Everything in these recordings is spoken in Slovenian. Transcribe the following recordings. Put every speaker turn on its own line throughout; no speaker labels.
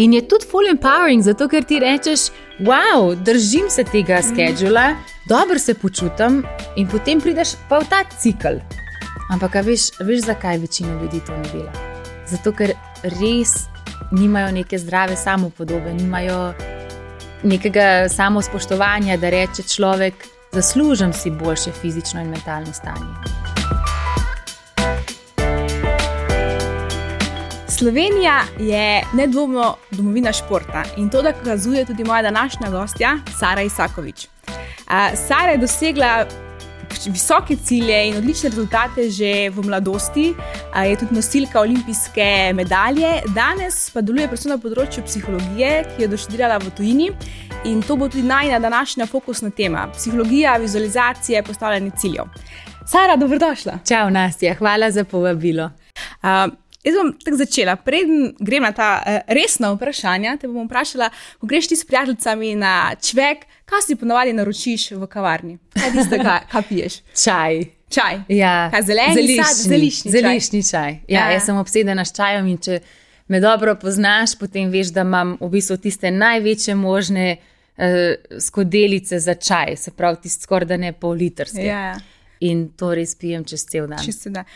In je tudi full empowering, zato ker ti rečeš, wow, držim se tega schedula, dobro se počutim in potem prideš pa v ta cikl. Ampak veš, zakaj večina ljudi to ne dela? Zato ker res nimajo neke zdrave samopodobe, nimajo nekega samospoštovanja, da reče človek, zaslužim si boljše fizično in mentalno stanje.
Slovenija je nedvomno domovina športa in to dokazuje tudi moja današnja gostja, Sara Isakovič. Sara je dosegla visoke cilje in odlične rezultate že v mladosti, je tudi nosilka olimpijske medalje, danes pa deluje predvsem na področju psihologije, ki jo doštudirala v tujini in to bo tudi najina današnja fokusna tema, psihologija, vizualizacije, postavljanje ciljev. Sara, dobrodošla.
Čau, Nastja, hvala za povabilo.
Jaz bom tako začela. Preden grem na ta resna vprašanja, te bom vprašala, ko greš ti s prijateljicami na čvek, kaj si ponavadi naročiš v kavarni? Kaj tistega, kaj piješ?
Čaj.
Čaj?
Ja.
Kaj, zeleni sad,
zeliščni čaj. Ja, jaz sem obsedena s čajem in če me dobro poznaš, potem veš, da imam v bistvu tiste največje možne skodelice za čaj, se pravi tiste skoraj da ne pol litrske.
Ja.
In to res pijem čez cel dan.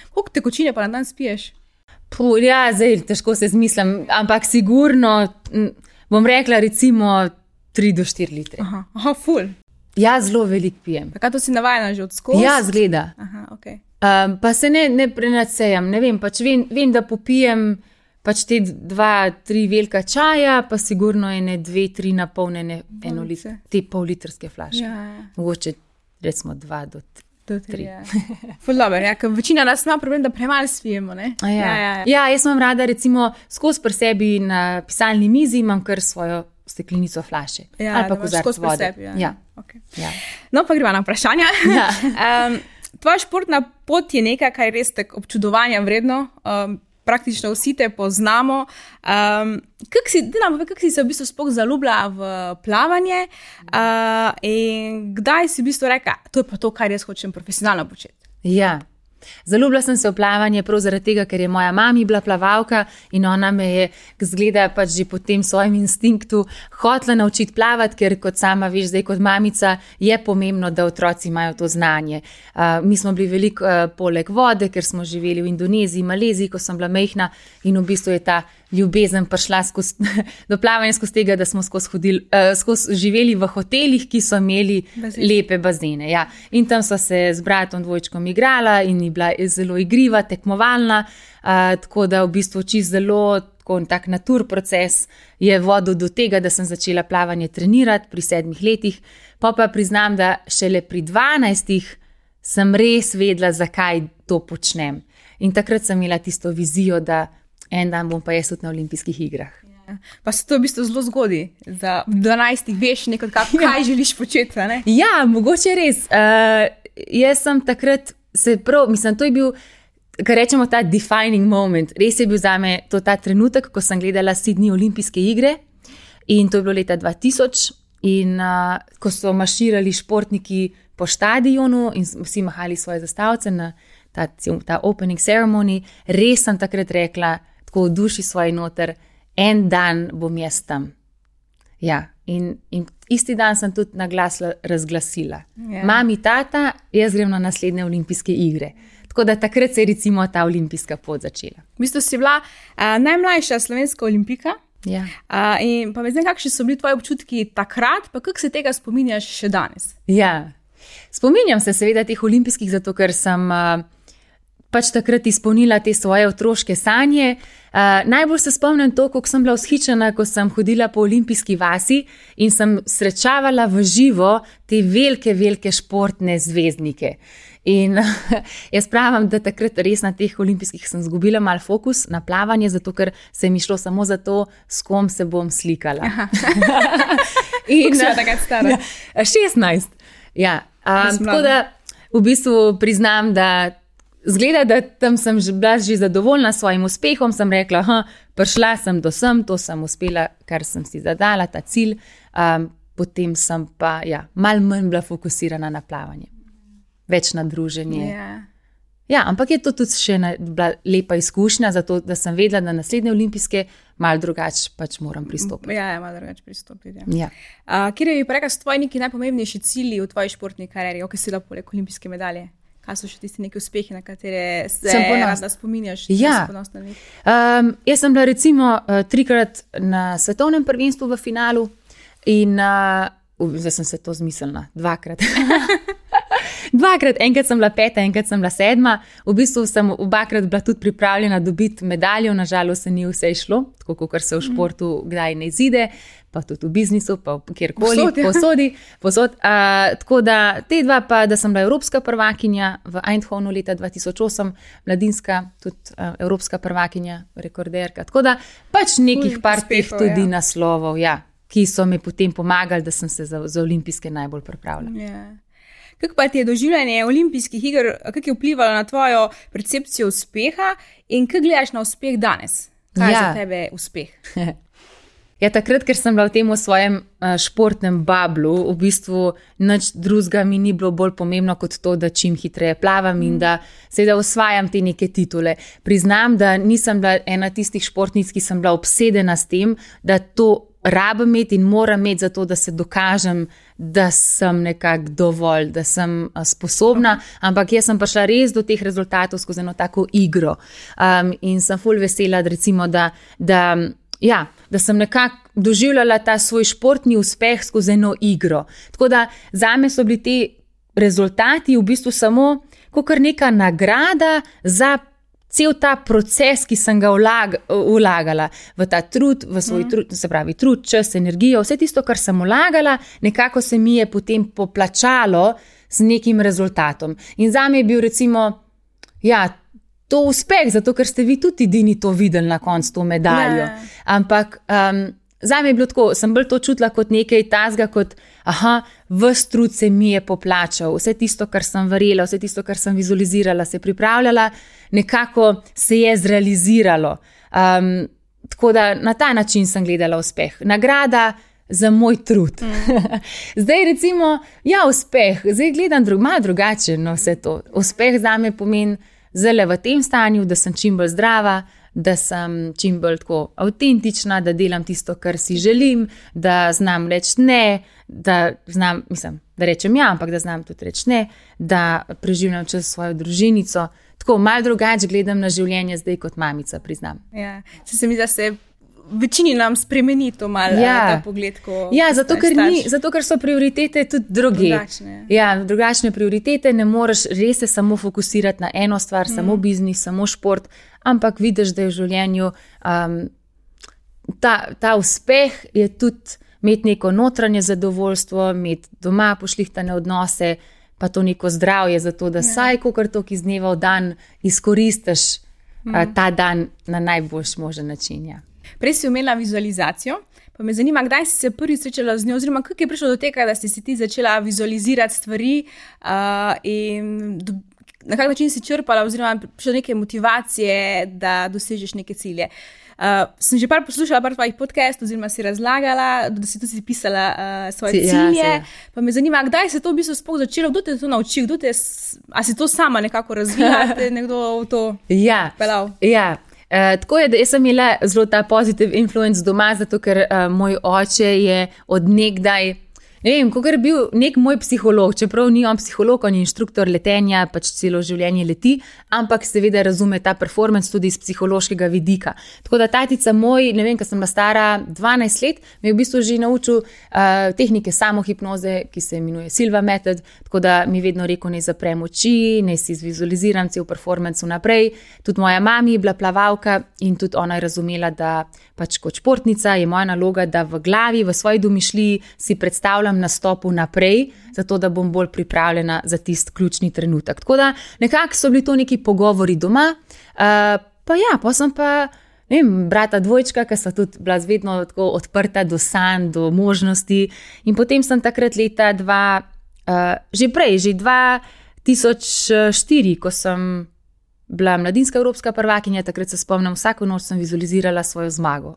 Koliko tekočine pa na dan spiješ?
Ja, zdaj težko se zmislim, ampak sigurno bom rekla recimo 3 do 4 litre.
Aha, ful.
Ja, zelo veliko pijem.
Pa kaj to si navajena že od skozi?
Ja, zgleda.
Aha, okay.
Pa se ne prenadsejam, ne vem, pač vem, da popijem pač te 2-3 velika čaja, pa sigurno ene 2-3 napolnjene te pol-litrske flaške.
Ja.
Mogoče recimo 2 do 3.
Ful dobro, ja, ker večina nas ima problem, da premalo spijemo, ne?
Ja, jaz imam rada recimo skozi pri sebi na pisalni mizi imam kar svojo steklenico flaše.
Ja,
ali pa kozarec vode.
Sebi,
ja.
Okay.
Ja.
No, pa gremo na vprašanja.
Ja.
Tvoja športna pot je nekaj, kar je res tako občudovanja vredno. Praktično vsi te poznamo. Kako si se v bistvu sploh zaljubila v plavanje in kdaj si v bistvu rekla, to je pa to, kar jaz hočem profesionalno početi?
Ja, zaljubila sem se v plavanje prav zaradi tega, ker je moja mami bila plavalka in ona me je zgleda pač že po tem svojem instinktu hotela naučiti plavati, ker kot sama veš, zdaj kot mamica je pomembno, da otroci imajo to znanje. Mi smo bili veliko poleg vode, ker smo živeli v Indoneziji, Maleziji, ko sem bila majhna in v bistvu je ta ljubezen prišla do plavanja skozi tega, da smo skozi živeli v hotelih, ki so imeli lepe bazene. Ja. In tam so se z bratom dvojčkom igrala in je bila zelo igriva, tekmovalna, tako da v bistvu čisto zelo tak natur proces je vodil do tega, da sem začela plavanje trenirati pri 7 letih. Pa priznam, da šele pri 12 sem res vedela, zakaj to počnem. In takrat sem imela tisto vizijo, da en dan bom pa jaz tudi na olimpijskih igrah.
Ja. Pa se to v bistvu zelo zgodi, da v 12 veš kaj želiš početi, ne?
Ja, mogoče res. Jaz sem takrat to je bil, kar rečemo, ta defining moment. Res je bil zame to ta trenutek, ko sem gledala Sydney olimpijske igre in to je bilo leta 2000 in ko so marširali športniki po štadionu in vsi mahali svoje zastavice na ta opening ceremony, res sem takrat rekla, tako v duši svoj noter, en dan bom jaz tam. Ja, in isti dan sem tudi na glas razglasila. Yeah. Mami, tata, jaz grem na naslednje olimpijske igre. Tako da takrat se je recimo ta olimpijska pot začela.
V bistvu si bila najmlajša slovenska olimpika.
Ja.
In pa me zdaj, kakšni so bili tvoji občutki takrat, pa kako se tega spominjaš še danes?
Ja, spominjam se seveda teh olimpijskih, zato ker sem pač takrat izpolnila te svoje otroške sanje. Najbolj se spomnim to, kako sem bila vzhičena, ko sem hodila po olimpijski vasi in sem srečavala v živo te velike športne zvezdnike. In jaz pravim, da takrat res na teh olimpijskih sem zgubila malo fokus na plavanje, zato ker se mi šlo samo za to, s kom se bom slikala.
In kako si takrat stara?
16. Ja, tako da v bistvu priznam, da zgleda, da tam sem bila že zadovoljna s svojim uspehom, sem rekla, prišla sem do sem, to sem uspela, kar sem si zadala, ta cilj, potem sem pa malo manj bila fokusirana na plavanje. Več na druženje.
Yeah.
Ja, ampak je to tudi še bila lepa izkušnja, zato da sem vedela, da naslednje olimpijske malo drugače pač moram pristopiti.
Ja, malo drugače pristopiti.
Ja.
Kjer bi pa rekla, so tvoji neki najpomembnejši cilji v tvoji športni karieri, ki si lahko poleg olimpijske medalje? Kaj so še tisti neki uspehi, na katere se rada spominjaš?
Ja. Jaz sem bila recimo 3-krat na svetovnem prvenstvu v finalu in zdaj sem se to zmislila, 2-krat. 2-krat, enkrat sem bila 5, enkrat sem bila 7. V bistvu sem 2-krat bila tudi pripravljena dobiti medaljo, nažalost se ni vse išlo, tako kot se v športu kdaj ne izide, pa tudi v biznisu, pa kjerkoli, posod. Tako da te 2 pa, da sem bila evropska prvakinja v Eindhovenu leta 2008, mladinska, tudi evropska prvakinja, rekorderka. Tako da pač nekih par teh tudi naslovov, ki so mi potem pomagali, da sem se za olimpijske najbolj pripravljala.
Kako pa ti je doživljanje olimpijskih iger, kako je vplivalo na tvojo percepcijo uspeha in kako gledaš na uspeh danes? Kaj je za tebe uspeh?
Takrat, ker sem bila v tem svojem športnem bablu, v bistvu nič drugega mi ni bilo bolj pomembno kot to, da čim hitreje plavam in da seveda osvajam te neke titule. Priznam, da nisem bila ena tistih športnic, ki sem bila obsedena s tem, da to rabim imeti in moram imeti za to, da se dokažem, da sem nekako dovolj, da sem sposobna, ampak jaz sem prišla res do teh rezultatov skozi eno tako igro. In sem ful vesela, recimo, da sem nekako doživljala ta svoj športni uspeh skozi eno igro. Tako da zame so bili ti rezultati v bistvu samo kakor neka nagrada za cel ta proces, ki sem ga vlagala v ta trud, v svoj trud, se pravi trud, čas, energijo, vse tisto, kar sem vlagala, nekako se mi je potem poplačalo z nekim rezultatom. In zame je bil recimo, to uspeh, zato ker ste vi tudi edini to videli na koncu to medaljo. Ampak zame je bilo tako, sem bolj to čutila kot nekaj tazga, kot ves trud se mi je poplačal, vse tisto, kar sem verjela, vse tisto, kar sem vizualizirala, se pripravljala, nekako se je zrealiziralo. Tako da na ta način sem gledala uspeh. Nagrada za moj trud. Zdaj recimo, uspeh, zdaj gledam malo drugače na vse to. Uspeh zame pomeni zelo v tem stanju, da sem čim bolj zdrava, da sem čim bolj tako avtentična, da delam tisto, kar si želim, da znam reči ne, da znam, da rečem ampak da znam tudi reči ne, da preživljam čas svojo družinico. Tako malo drugače gledam na življenje zdaj kot mamica, priznam.
Se mi zdi, da se večini nam spremeni to malo ta pogled, ko
zato ker so prioritete tudi druge. Drugačne prioritete, ne moreš res se samo fokusirati na eno stvar, samo biznis, samo šport, ampak vidiš, da je v življenju ta uspeh je tudi imeti neko notranje zadovoljstvo, imeti doma pošlihtane odnose, pa to neko zdravje, zato da saj kakor to, ki iz dneva v dan izkoristiš ta dan na najboljši možen način.
Prej si omenila vizualizacijo, pa me zanima, kdaj si se prvi srečala z njo, oziroma kako je prišlo do tega, da si ti začela vizualizirati stvari in na kak način si črpala oziroma prišla do neke motivacije, da dosežeš neke cilje. Sem že poslušala par tvojih podcastov, oziroma si razlagala, da si tudi pisala svoje cilje, pa me zanima, kdaj se to v bistvu sploh začelo, kdo te to naučil, a si to sama nekako razvila, te nekdo v to pelal?
Tako je, da jaz sem imela zelo ta positive influence doma, zato ker moj oče je od nekdaj, ne vem, kakor je bil nek moj psiholog, čeprav ni on psiholog, on je inštruktor letenja, pač celo življenje leti, ampak seveda razume ta performance tudi iz psihološkega vidika. Tako da tatica moj, ne vem, ko sem bila stara 12 let, me je v bistvu že naučil tehnike samohipnoze, ki se imenuje Silva Method, tako da mi vedno rekel, ne zaprem oči, ne si zvizualiziram cel performance vnaprej. Tudi moja mami je bila plavalka in tudi ona je razumela, da pač kot športnica je moja naloga, da v glavi, v svoji domišljiji si predstavljam nastopu naprej, zato da bom bolj pripravljena za tisti ključni trenutek. Tako da nekako so bili to neki pogovori doma, pa sem pa, ne vem, brata dvojčka, ki so tudi bila vedno tako odprta do sanj, do možnosti in potem sem takrat leta že 2004, ko sem bila mladinska evropska prvakinja, takrat se spomnim, vsako noč sem vizualizirala svojo zmago.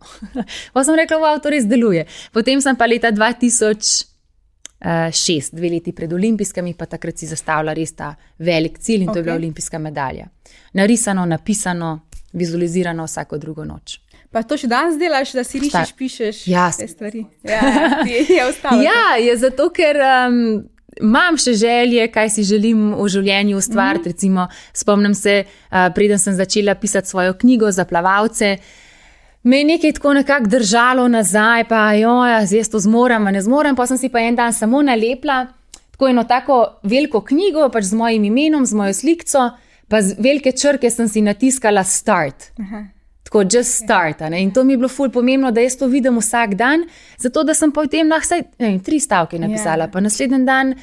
Pa sem rekla, wow, to res deluje. Potem sem pa leta 2006, 2 leti pred olimpijskimi, pa takrat si zastavila res ta velik cilj in to je bila olimpijska medalja. Narisano, napisano, vizualizirano vsako drugo noč.
Pa to še danes delaš, da si rišeš, pišeš te stvari? Je ostalo.
Je zato, ker imam še želje, kaj si želim v življenju ustvariti. Recimo, spomnim se, preden sem začela pisati svojo knjigo za plavalce, me je nekaj tako nekako držalo nazaj, pa jaz to zmorem, ne zmorem, pa sem si pa en dan samo nalepla tako eno tako veliko knjigo, pač z mojim imenom, z mojo slikco, pa z velike črke sem si natiskala start. Tako just start. In to mi je bilo ful pomembno, da jaz to vidim vsak dan, zato da sem potem lahko 3 stavke napisala, pa naslednji dan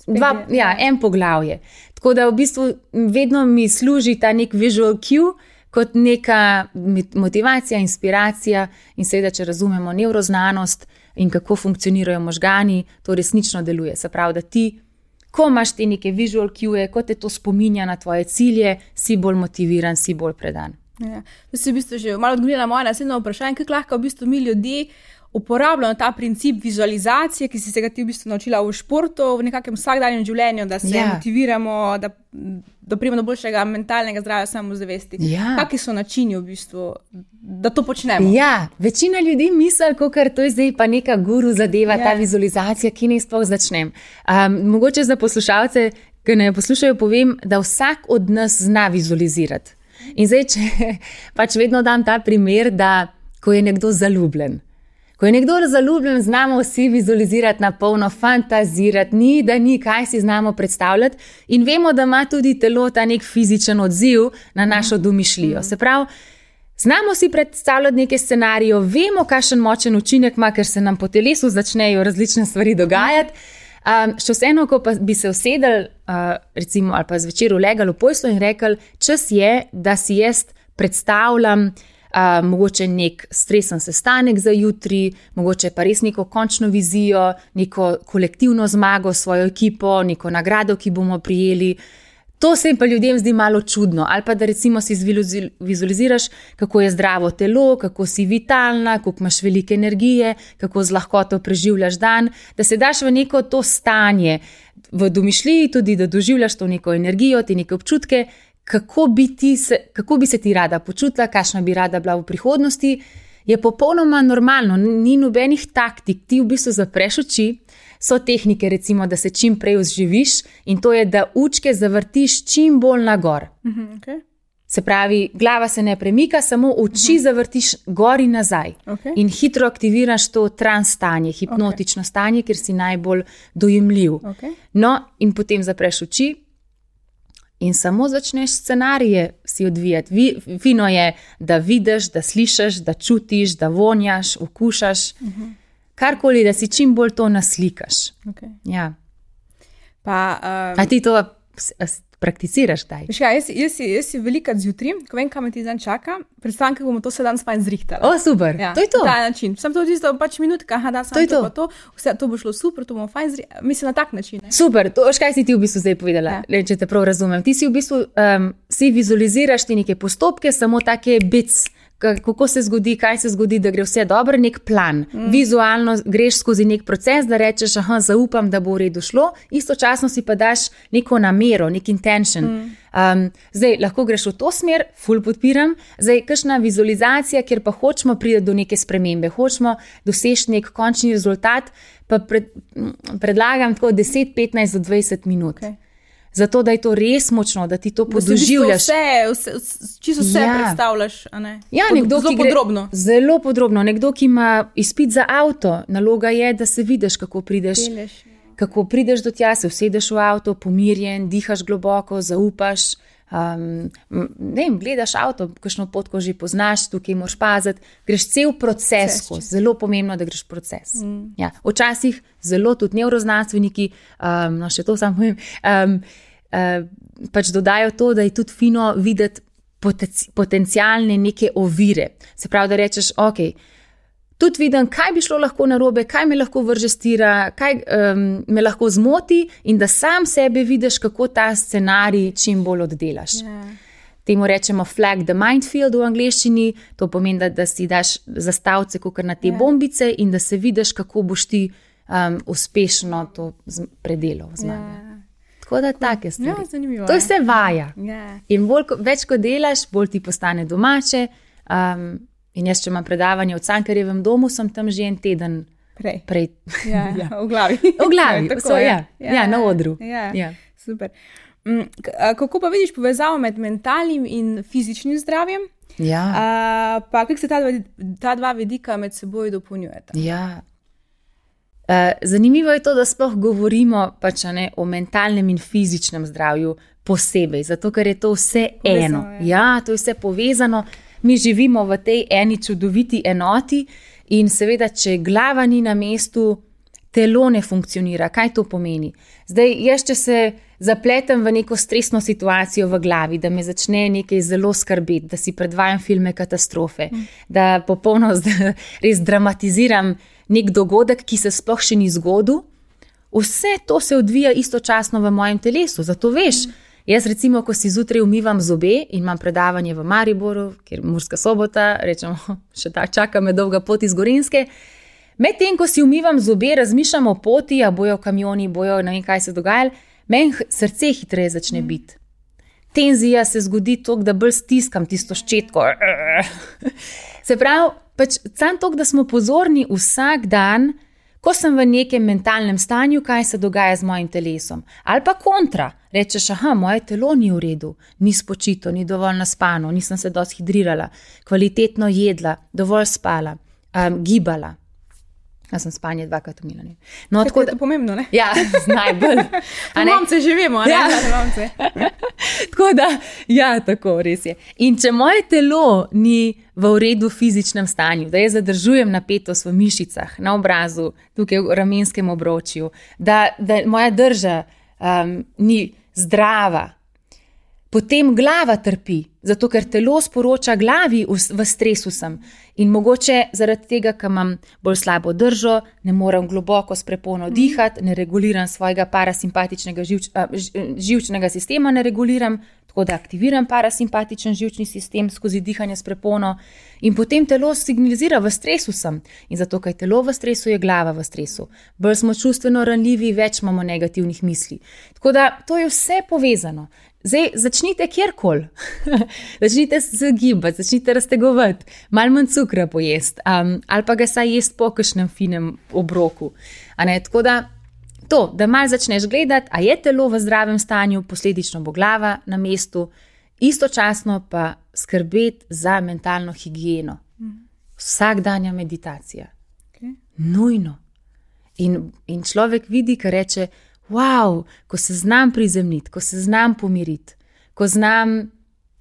1 poglavje. Tako da v bistvu vedno mi služi ta nek visual cue, kot neka motivacija, inspiracija in seveda, če razumemo nevroznanost in kako funkcionirajo možgani, to resnično deluje. Se pravi, da ti, ko imaš te neke visual cue, ko te to spominja na tvoje cilje, si bolj motiviran, si bolj predan.
To si v bistvu že malo odgovorila na moje naslednje vprašanje, kako lahko v bistvu mi ljudje uporabljamo ta princip vizualizacije, ki si se ga ti v bistvu naučila v športu, v nekakšnem vsakdanjem življenju, da se motiviramo, da pridemo do boljšega mentalnega zdravja, samozavesti. Kakšni so načini v bistvu, da to počnemo?
Večina ljudi misli, kakor to je zdaj pa neka guru zadeva, ta vizualizacija, ki ne sploh začnem. Mogoče za poslušalce, ki ne poslušajo, povem, da vsak od nas zna vizualizirati. In zdaj, če pač vedno dam ta primer, da ko je nekdo zaljubljen. Ko je nekdo zaljubljen, znamo vsi vizualizirati na polno, fantazirati, ni, kaj si znamo predstavljati in vemo, da ima tudi telo ta nek fizičen odziv na našo domišljijo. Se pravi, znamo si predstavljati neke scenarije, vemo, kakšen močen učinek ima, ker se nam po telesu začnejo različne stvari dogajati. Še vseeno, ko pa bi se usedel, recimo, ali pa zvečer ulegal v poslo in rekel, čas je, da si jaz predstavljam mogoče nek stresen sestanek za jutri, mogoče pa res neko končno vizijo, neko kolektivno zmago s svojo ekipo, neko nagrado, ki bomo prijeli. To se jim pa ljudem zdi malo čudno. Ali pa da recimo si vizualiziraš, kako je zdravo telo, kako si vitalna, kako imaš veliko energije, kako z lahkoto preživljaš dan, da se daš v neko to stanje, v domišljiji tudi, da doživljaš to neko energijo, te neke občutke, kako bi se ti rada počutila, kakšna bi rada bila v prihodnosti, je popolnoma normalno, ni nobenih taktik, ti v bistvu zapreš oči, so tehnike recimo, da se čim prej vzživiš in to je, da učke zavrtiš čim bolj nagor. Se pravi, glava se ne premika, samo oči zavrtiš gor in nazaj in hitro aktiviraš to trans stanje, hipnotično stanje, kjer si najbolj dojemljiv. No, in potem zapreš oči, in samo začneš scenarije si odvijati. Fino je, da vidiš, da slišiš, da čutiš, da vonjaš, okušaš. Karkoli, da si čim bolj to naslikaš. A ti to prakticiraš kdaj?
Jaz si velikrat zjutraj, ko vem, kam me ti dan čaka, predstavljam, kako bomo to se danes fajn zrihtali.
Super, to je to.
Ta način. Sam to tisto pač minutka, da sam to, vse to bo šlo super, to bomo fajn zrihtali. Mislim, na tak način.
Super, to kaj si ti v bistvu zdaj povedala, če te prav razumem. Ti si v bistvu, si vizualiziraš ti neke postopke, samo take bits, kako se zgodi, kaj se zgodi, da gre vse dobro, nek plan. Vizualno greš skozi nek proces, da rečeš, zaupam, da bo v redu šlo, istočasno si pa daš neko namero, nek intention. Zdaj, lahko greš v to smer, ful podpiram, zdaj, kakšna vizualizacija, kjer pa hočemo priti do neke spremembe, hočemo doseči nek končni rezultat, pa predlagam tako 10, 15 do 20 minut. Zato, da je to res močno, da ti to podoživljaš.
Čisto vse predstavljaš, a ne?
Zelo podrobno. Zelo podrobno. Nekdo, ki ima izpit za avto, naloga je, da se vidiš, kako prideš do tja, se usedeš v avto, pomirjen, dihaš globoko, zaupaš, gledaš avto, kakšno pot, ko že poznaš, tukaj moraš paziti, greš cel proces, zelo pomembno, da greš proces. Včasih zelo tudi nevroznanstveniki, še to sam povem, pač dodajo to, da je tudi fino videti potencialne neke ovire. Se pravi, da rečeš, tudi vidim, kaj bi šlo lahko narobe, kaj me lahko vrže s tira, kaj me lahko zmoti in da sam sebe vidiš, kako ta scenarij čim bolj oddelaš. Temu rečemo flag the mind field v angleščini, to pomeni, da si daš zastavce kakor na te bombice in da se vidiš, kako boš ti uspešno to predelal zmage. Tako da take stvari.
Zanimivo.
To je vse vaja. In več ko delaš, bolj ti postane domače. In jaz, če imam predavanje v Cankarjevem domu, sem tam že en teden prej.
Ja, v glavi.
V glavi,
tako,
na odru.
Ja. Super. Kako pa vidiš povezavo med mentalnim in fizičnim zdravjem?
Ja.
Pa kako se ta dva vidika med seboj dopolnjujeta?
Ja. Zanimivo je to, da sploh govorimo o mentalnem in fizičnem zdravju posebej, zato ker je to vse eno. Ja, to je vse povezano. Mi živimo v tej eni čudoviti enoti in seveda, če glava ni na mestu, telo ne funkcionira. Kaj to pomeni? Zdaj, jaz, če se zapletem v neko stresno situacijo v glavi, da me začne nekaj zelo skrbeti, da si predvajam filme katastrofe, da popolno res dramatiziram nek dogodek, ki se sploh še ni zgodil, vse to se odvija istočasno v mojem telesu. Zato veš, jaz recimo, ko si zjutraj umivam zobe in imam predavanje v Mariboru, kjer Murska Sobota, rečemo, še čaka me dolga pot iz Gorenjske, medtem, ko si umivam zobe, razmišljam o poti, a bojo kamioni, ne vem, kaj se dogaja, meni srce hitreje začne biti. Tenzija se zgodi toliko, da bolj stiskam tisto ščetko. Se pravi, samo toliko, da smo pozorni vsak dan, ko sem v nekem mentalnem stanju, kaj se dogaja z mojim telesom. Ali pa kontra, rečeš, moje telo ni v redu, ni spočito, ni dovolj naspano, nisem se dosti hidrirala, kvalitetno jedla, dovolj spala, gibala. Jaz sem spanje 2krat umila.
No, tako da je to pomembno, ne?
Ja, najbolj.
Mamce živimo, ne?
Ja. Tako da, ja, tako, res je. In če moje telo ni v redu v fizičnem stanju, da jaz zadržujem napetost v mišicah, na obrazu, tukaj v ramenskem obročju, da moja drža ni zdrava, potem glava trpi, zato ker telo sporoča glavi, v stresu sem. In mogoče zaradi tega, ker imam bolj slabo držo, ne morem globoko s prepono dihati, ne reguliram svojega parasimpatičnega živčnega sistema, tako da aktiviram parasimpatičen živčni sistem skozi dihanje s prepono in potem telo signalizira, v stresu sem. In zato, ker je telo v stresu, je glava v stresu. Bolj smo čustveno ranljivi, več imamo negativnih misli. Tako da to je vse povezano. Zdaj, začnite kjerkoli, začnite se gibati, začnite raztegovati, malo manj cukra pojesti, ali pa ga saj jesti po kakšnem finem obroku. Tako da, da malo začneš gledati, a je telo v zdravem stanju, posledično bo glava na mestu, istočasno pa skrbeti za mentalno higieno. Vsakdanja meditacija. Nujno. In človek vidi, kar reče, wow, ko se znam prizemljiti, ko se znam pomiriti, ko znam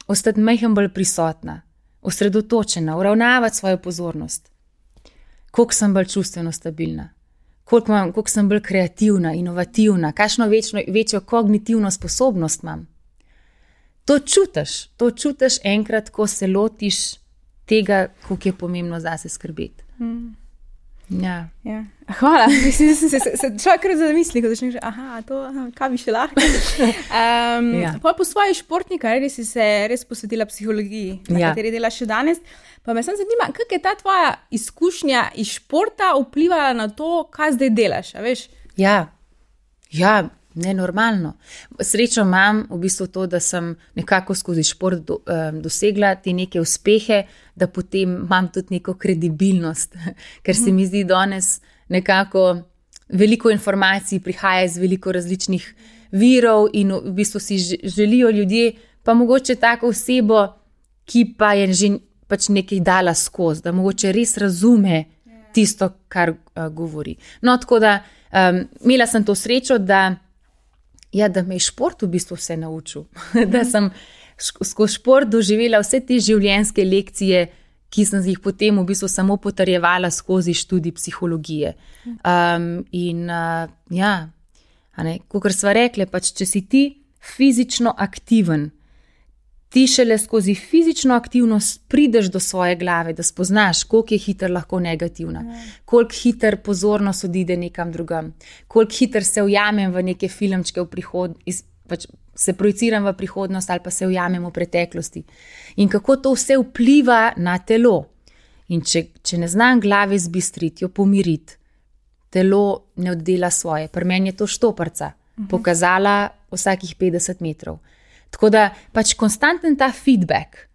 ostati majhen bolj prisotna, osredotočena, uravnavati svojo pozornost, koliko sem bolj čustveno stabilna, koliko sem bolj kreativna, inovativna, kakšno večjo kognitivno sposobnost imam. To čutiš enkrat, ko se lotiš tega, koliko je pomembno zase skrbeti. Ja.
Hvala, mislim, da se človek zamisli, ko začneš, kaj bi še lahko. Po svoji športni karieri si se res posvetila psihologiji, na kateri delaš še danes. Pa me zanima, kako je ta tvoja izkušnja iz športa vplivala na to, kaj zdaj delaš, a veš?
Ja, nenormalno. Srečo imam v bistvu to, da sem nekako skozi šport dosegla te neke uspehe, da potem imam tudi neko kredibilnost, ker se mi zdi danes nekako veliko informacij prihaja iz veliko različnih virov in v bistvu si želijo ljudje, pa mogoče tako osebo, ki pa je že nekaj dala skozi, da mogoče res razume tisto, kar govori. No, tako da imela sem to srečo, da me je šport v bistvu vse naučil. Da sem skozi šport doživela vse te življenjske lekcije, ki sem jih potem v bistvu samo potrjevala skozi študij psihologije. Kakor sva rekli, če si ti fizično aktiven, ti šele skozi fizično aktivnost prideš do svoje glave, da spoznaš, koliko je hitro lahko negativna, koliko hitro pozornost odide nekam drugam, koliko hitro se ujamem v neke filmčke se projiciram v prihodnost ali pa se ujamem v preteklosti. In kako to vse vpliva na telo. In če ne znam glave zbistriti, jo pomiriti, telo ne oddela svoje. Pri meni je to štoparca, pokazala vsakih 50 metrov. Tako da konstanten ta feedback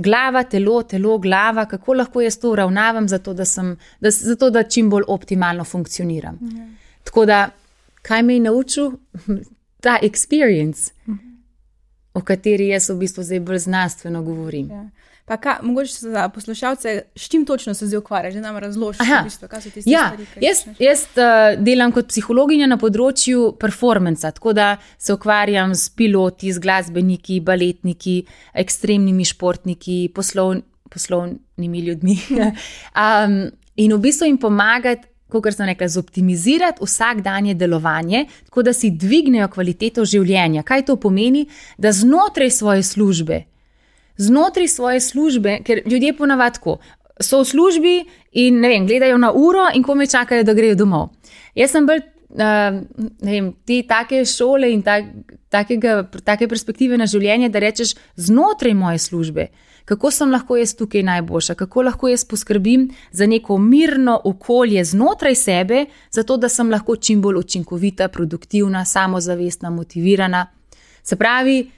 glava, telo, glava, kako lahko jaz to uravnavam, zato da čim bolj optimalno funkcioniram. Tako da, kaj me je naučil? Ta experience, o kateri jaz v bistvu zdaj bolj znanstveno govorim.
Pa mogoče za poslušalce, s čim točno se zdaj ukvarjaš, da nam razložiš, v bistvu, kaj so tiste stvari?
Jaz delam kot psihologinja na področju performanca, tako da se ukvarjam s piloti, z glasbeniki, baletniki, ekstremnimi športniki, poslovnimi ljudmi. In v bistvu jim pomagati, kot sem rekla, zoptimizirati vsakdanje delovanje, tako da si dvignejo kvaliteto življenja. Kaj to pomeni? Da znotraj svoje službe, ker ljudje ponavadi tako, so v službi in gledajo na uro in kome čakajo, da grejo domov. Jaz sem bolj, te take šole in take perspektive na življenje, da rečeš znotraj moje službe, kako sem lahko jaz tukaj najboljša, kako lahko jaz poskrbim za neko mirno okolje znotraj sebe, zato da sem lahko čim bolj učinkovita, produktivna, samozavestna, motivirana. Se pravi,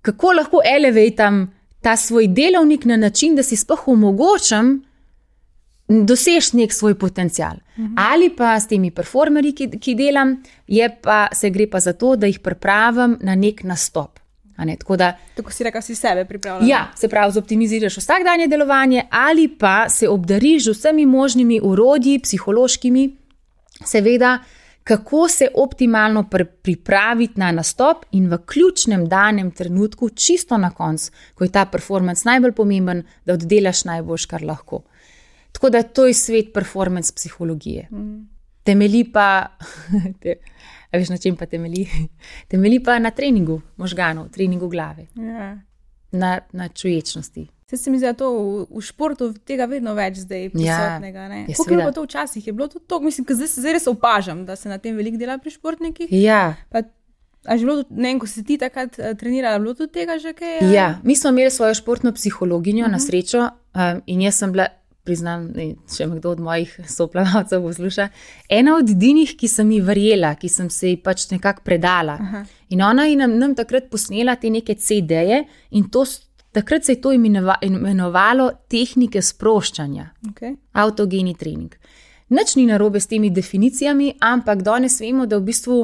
kako lahko elevatam ta svoj delovnik na način, da si sploh omogočam doseči nek svoj potencial. Ali pa s temi performerji, ki delam, se gre pa za to, da jih pripravim na nek nastop.
Tako si rekel, si sebe pripravljala.
Ja, se pravi, zoptimiziraš vsakdanje delovanje ali pa se obdariš z vsemi možnimi orodji, psihološkimi, seveda, kako se optimalno pripraviti na nastop in v ključnem danem trenutku, čisto na koncu, ko je ta performance najbolj pomemben, da oddelaš najboljš, kar lahko. Tako da to je svet performance psihologije. Temelji pa, veš na čem pa temelji? Temelji pa na treningu možganov, treningu glave, na čuječnosti.
Se mi zdi, da to v športu tega vedno več zdaj prisotnega. Kako je bilo to včasih? Je bilo to to? Mislim, zdaj res opažam, da se na tem veliko dela pri športnikih.
Ja.
A že bilo, ko si ti takrat trenirala, bilo tudi tega že kaj?
Ja, mi smo imeli svojo športno psihologinjo na srečo in jaz sem bila, priznam, če me kdo od mojih soplavalcev posluša, ena od edinih, ki sem ji verjela, ki sem se ji pač nekako predala. In ona je nam takrat posnela te neke CD-je in takrat se je to imenovalo tehnike sproščanja. Autogeni trening. Nič ni narobe s temi definicijami, ampak danes vemo, da v bistvu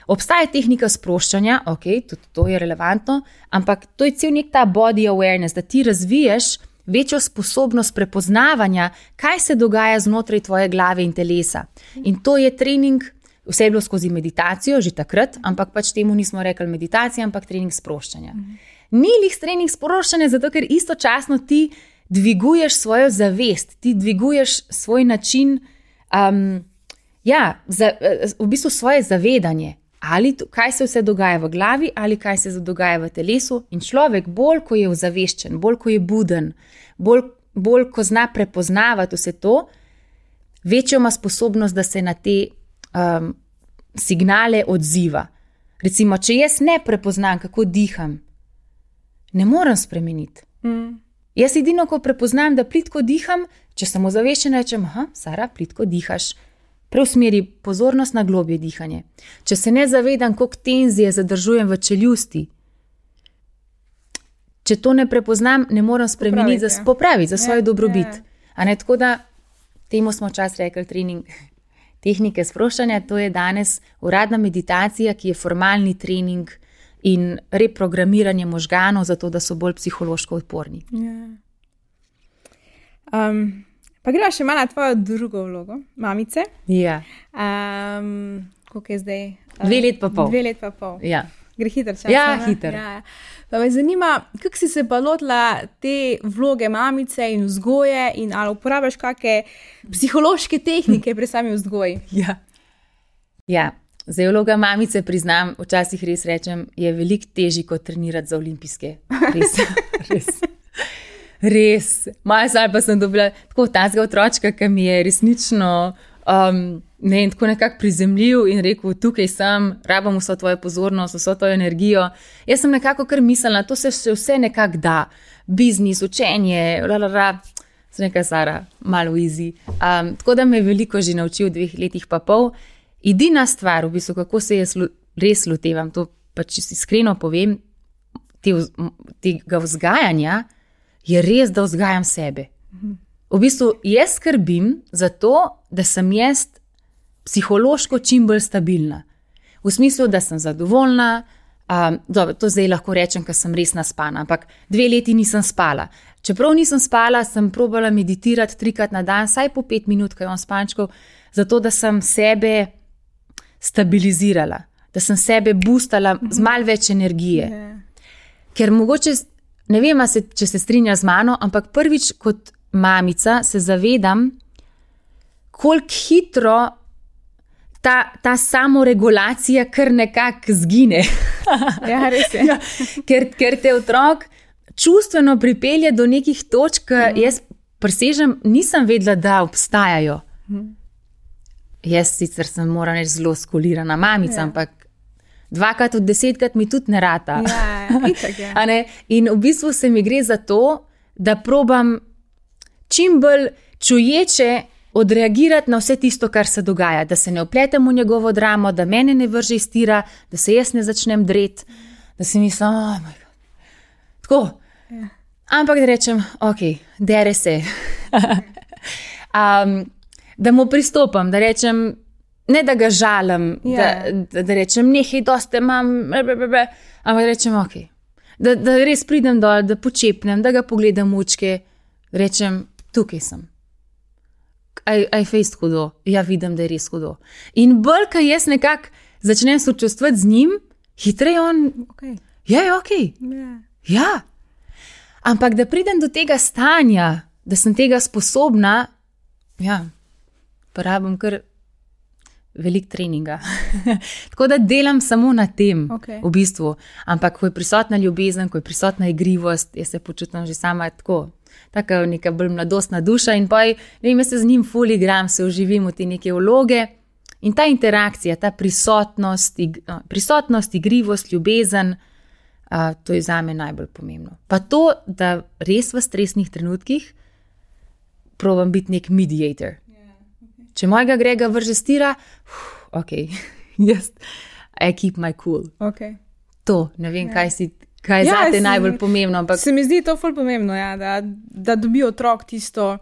obstaja tehnika sproščanja, tudi to je relevantno, ampak to je cel nek ta body awareness, da ti razviješ večjo sposobnost prepoznavanja, kaj se dogaja znotraj tvoje glave in telesa. In to je trening, vse je bilo skozi meditacijo, že takrat, ampak pač temu nismo rekli meditacija, ampak trening sproščanja. Ni lih trening sproščanja, zato ker istočasno ti dviguješ svojo zavest, ti dviguješ svoj način, v bistvu svoje zavedanje. Ali kaj se vse dogaja v glavi, ali kaj se dogaja v telesu. In človek, bolj ko je ozaveščen, bolj ko je buden, bolj ko zna prepoznavati vse to, večjo ima sposobnost, da se na te signale odziva. Recimo, če jaz ne prepoznam, kako diham, ne morem spremeniti. Jaz edino, ko prepoznam, da plitko diham, če sem ozaveščena, rečem, Sara, plitko dihaš. Preusmeri pozornost na globje dihanje. Če se ne zavedam, koliko tenzije zadržujem v čeljusti, če to ne prepoznam, ne morem spremeniti, popraviti za svoj dobrobit. Tako da, temu smo včasih rekli trening tehnike sproščanja, to je danes uradna meditacija, ki je formalni trening in reprogramiranje možganov, zato da so bolj psihološko odporni.
Pa greva še malo na tvojo drugo vlogo, mamice.
Ja.
Koliko je zdaj?
2 let pa pol.
2 let pa pol.
Ja.
Gre hiter čas.
Ja, hiter.
Ja. Pa me zanima, kako si se pa lotila te vloge mamice in vzgoje in ali uporabljaš kakšne psihološke tehnike pri sami vzgoji?
Ja. Zdaj vloga mamice, priznam, včasih res rečem, je veliko težji kot trenirati za olimpijske. Res. Maja sal pa sem dobila tako tazga otročka, ki mi je resnično tako nekako prizemljiv in rekel, tukaj sem, rabam vso tvojo pozornost, vso tvojo energijo. Jaz sem nekako kar mislila, to se še vse nekako da. Biznis, učenje, sem nekaj Sara, malo easy. Tako da me je veliko že naučil v 2 letih pa pol. Edina stvar, v bistvu, kako se jaz res lotevam, to pač iskreno povem, tega vzgajanja je res, da vzgajam sebe. V bistvu jaz skrbim za to, da sem jaz psihološko čim bolj stabilna. V smislu, da sem zadovoljna, dobro, to zdaj lahko rečem, ker sem res naspana, ampak 2 leti nisem spala. Čeprav nisem spala, sem probala meditirati 3-krat na dan, saj po 5 minut, ko imam spančkov, zato da sem sebe stabilizirala, da sem sebe boostala z malo več energije. Ker mogoče, ne vem, če se strinja z mano, ampak prvič kot mamica se zavedam, koliko hitro ta samoregulacija kar nekako zgine.
Ja, res je.
Ja, ker te otrok čustveno pripelje do nekih točk, jaz presežem, nisem vedela, da obstajajo. Jaz sicer sem, moram reči, zelo skolirana mamica, ampak 2-krat od 10-krat mi tudi ne rata.
Itak je.
A ne? In v bistvu se mi gre za to, da probam čim bolj čuječe odreagirati na vse tisto, kar se dogaja, da se ne vpletem v njegovo dramo, da mene ne vrže iz tira, da se jaz ne začnem dreti, da si mislim, oh moj God. Tako.
Ja.
Ampak da rečem, ok, dere se. Da mu pristopam, da rečem, ne da ga žalim, da rečem, nehaj, dosti imam, ampak da rečem, ok, da res pridem dol, da počepnem, da ga pogledam v očke, rečem, tukaj sem. Aj fejst hudo, ja vidim, da je res hudo. In bolj, ko jaz nekako začnem sočustvati z njim, hitreje on, je ok. Ja. Ampak da pridem do tega stanja, da sem tega sposobna, ja, porabim kar veliko treninga. Tako da delam samo na tem, v bistvu. Ampak ko je prisotna ljubezen, ko je prisotna igrivost, jaz se počutim že sama tako neka bolj mladostna duša in pa jaz se z njim ful igram, se uživim v te neke vloge in ta interakcija, ta prisotnost, igrivost, ljubezen, to je zame najbolj pomembno. Pa to, da res v stresnih trenutkih probam biti nek mediator. Če mojega Grega vrže stira, ok, jaz, I keep my cool. To, ne vem, kaj je zate najbolj pomembno. Ampak
se mi zdi to ful pomembno, da dobi otrok tisto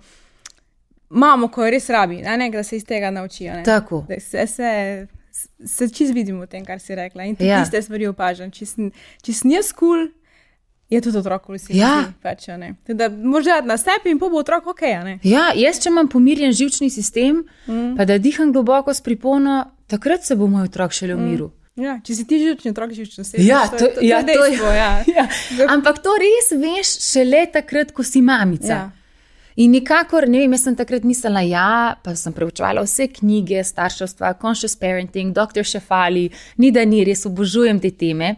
mamo, ko je res rabi, da se iz tega naučijo.
Tako.
Se čist vidim v tem, kar si rekla. In tiste stvari opažam. Če sem jaz cool, je tudi otrok cool. Da možda na sebi in po bo otrok ok.
Ja, jaz če imam pomirjen živčni sistem, pa da diham globoko s pripono, takrat se bo moj otrok šele v miru.
Ja, če si ti živčni otrok, živčno se.
To je dejstvo. Ampak to res veš šele takrat, ko si mamica.
Ja.
In nikakor, ne vem, jaz sem takrat mislila, pa sem preučevala vse knjige, starševstva, conscious parenting, Dr. Šefali, ni res obožujem te teme.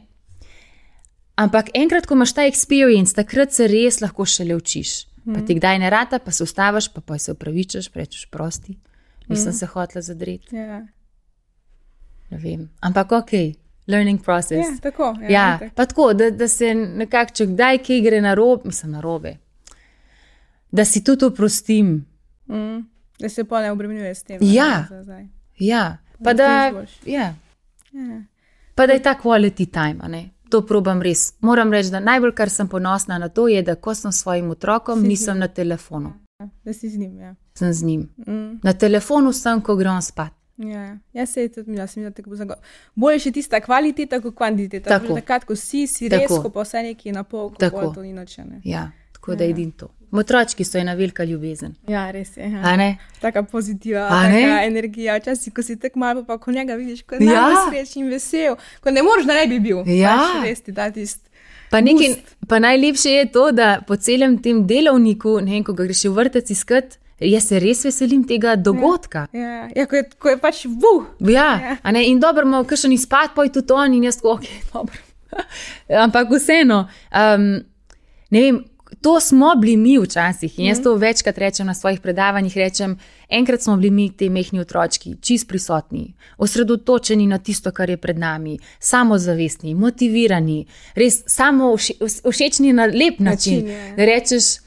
Ampak enkrat, ko imaš ta experience, takrat se res lahko šele učiš. Pa ti kdaj ne rata, pa se ustaviš, pa se opravičaš, rečeš prosti. Nisem se hotela zadreti. Ne vem. Ampak ok, learning process.
Ja, tako.
Pa tako, da se nekako, če kdaj kaj gre narobe, da si tudi oprostim.
Da se pa ne obremenjuje s tem.
Pa da je ta quality time, ne? To probam res. Moram reči, da najbolj, kar sem ponosna na to, je, da ko sem svojim otrokom, nisem na telefonu.
Da si z njim,
Sem z njim. Na telefonu sem, ko grem spat.
Jaz se je tudi mislila, tako bo zagotovo. Bolje še tista kvaliteta kot kvantiteta. Takrat, ko si res, ko pa vse nekaj na pol, ko to ni noče.
Ja, tako da edin to. Otročki so ena velika ljubezen.
Ja, res je.
A ne?
Taka pozitiva, taka energija. Včasih, ko si tako malo, pa ko njega vidiš, ko je najsrečen in vesel, ko ne moreš, da ne bi bil. Res ti da tist
pa najlepše je to, da po celem tem delovniku, ne vem, ko ga greš v vrtec iskat, jaz se res veselim tega dogodka.
Ko je pač
a ne, in dobro, malo kakšen izpad, pa je tudi on in jaz tako, ok, dobro. Ampak vseeno, ne vem, to smo bili mi včasih in jaz to večkrat rečem na svojih predavanjih, enkrat smo bili mi te mehni otročki, čist prisotni, osredotočeni na tisto, kar je pred nami, samozavestni, motivirani, res samo všečni na lep način, da rečeš,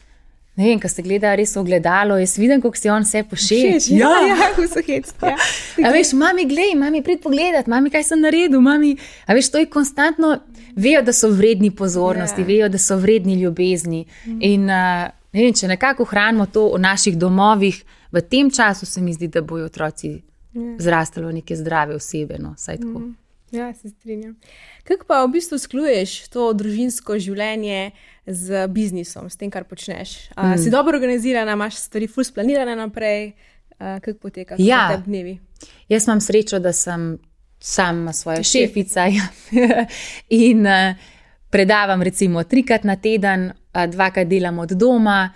ne vem, ko se gleda res v ogledalo, jaz vidim, kako si on vse pošeč.
Kako so hecni.
A veš, mami, glej, mami, prid pogledat, mami, kaj sem naredil, mami, a veš, to je konstantno, vejo, da so vredni pozornosti, vejo, da so vredni ljubezni. In ne vem, če nekako hranimo to v naših domovih, v tem času se mi zdi, da bojo otroci zrastali v neke zdrave osebe, no, saj tako.
Ja, se strinjam. Kako pa v bistvu skluješ to družinsko življenje z biznisom, s tem, kar počneš? Si dobro organizirana, imaš stvari ful splanirane naprej? Kako poteka te dnevi?
Jaz imam srečo, da sem sama svoja šefica in predavam recimo 3-krat na teden, 2-krat delam od doma,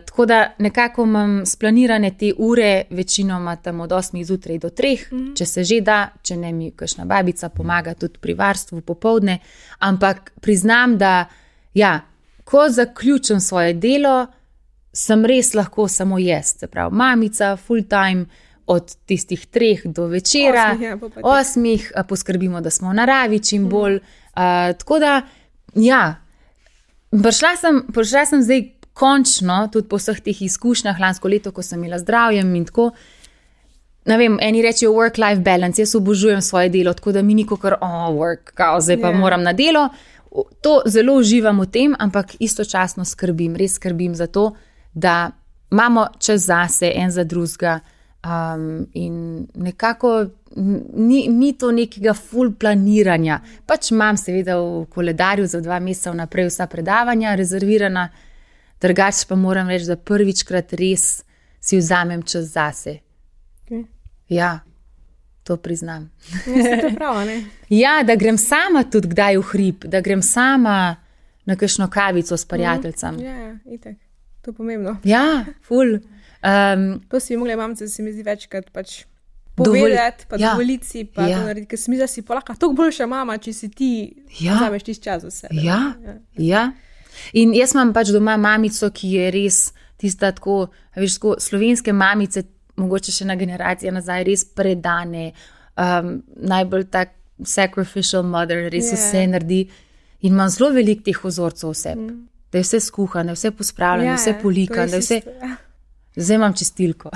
tako da nekako imam splanirane te ure, večinoma tam od 8 zjutraj do 3, če se že da, če ne mi kakšna babica pomaga tudi pri varstvu popoldne, ampak priznam, da ko zaključim svoje delo, sem res lahko samo jaz, se pravi mamica, full time, od tistih 3 do večera, 8, poskrbimo, da smo v naravi čim bolj, tako da, prišla sem zdaj končno, tudi po vseh teh izkušnjah, lansko leto, ko sem imela zdravjem in tako, ne vem, eni rečejo work-life balance, jaz obožujem svoje delo, tako da mi ni kakor, work, zdaj pa moram na delo, to zelo uživam v tem, ampak istočasno res skrbim za to, da imamo čas zase, en za drugega, in nekako ni to nekega full planiranja, pač imam seveda v koledarju za 2 meseca vnaprej vsa predavanja rezervirana, drugače pa moram reči, da prvičkrat res si vzamem čas zase. Ja, to priznam.
To prav, ne?
Ja, da grem sama tudi kdaj v hrib, da grem sama na kakšno kavico s prijateljcem.
Ja, itak. To je pomembno.
Ja, ful.
To si bi mogla mamce, se mi zdi večkrat pač povedati, pa dovoliti, pa to narediti, ker se mi zdi, da si polaka toliko boljša mama, če si ti vzameš tisti čas za sebe.
Ja. In jaz imam pač doma mamico, ki je res tista tako, veš, tako slovenske mamice, mogoče še na generacije nazaj, res predane, najbolj tak sacrificial mother, res vse naredi. In imam zelo veliko teh vzorcev vse. Da je vse skuhano, da je vse pospravljeno, da je vse polikano, da je vse... Zdaj imam čistilko.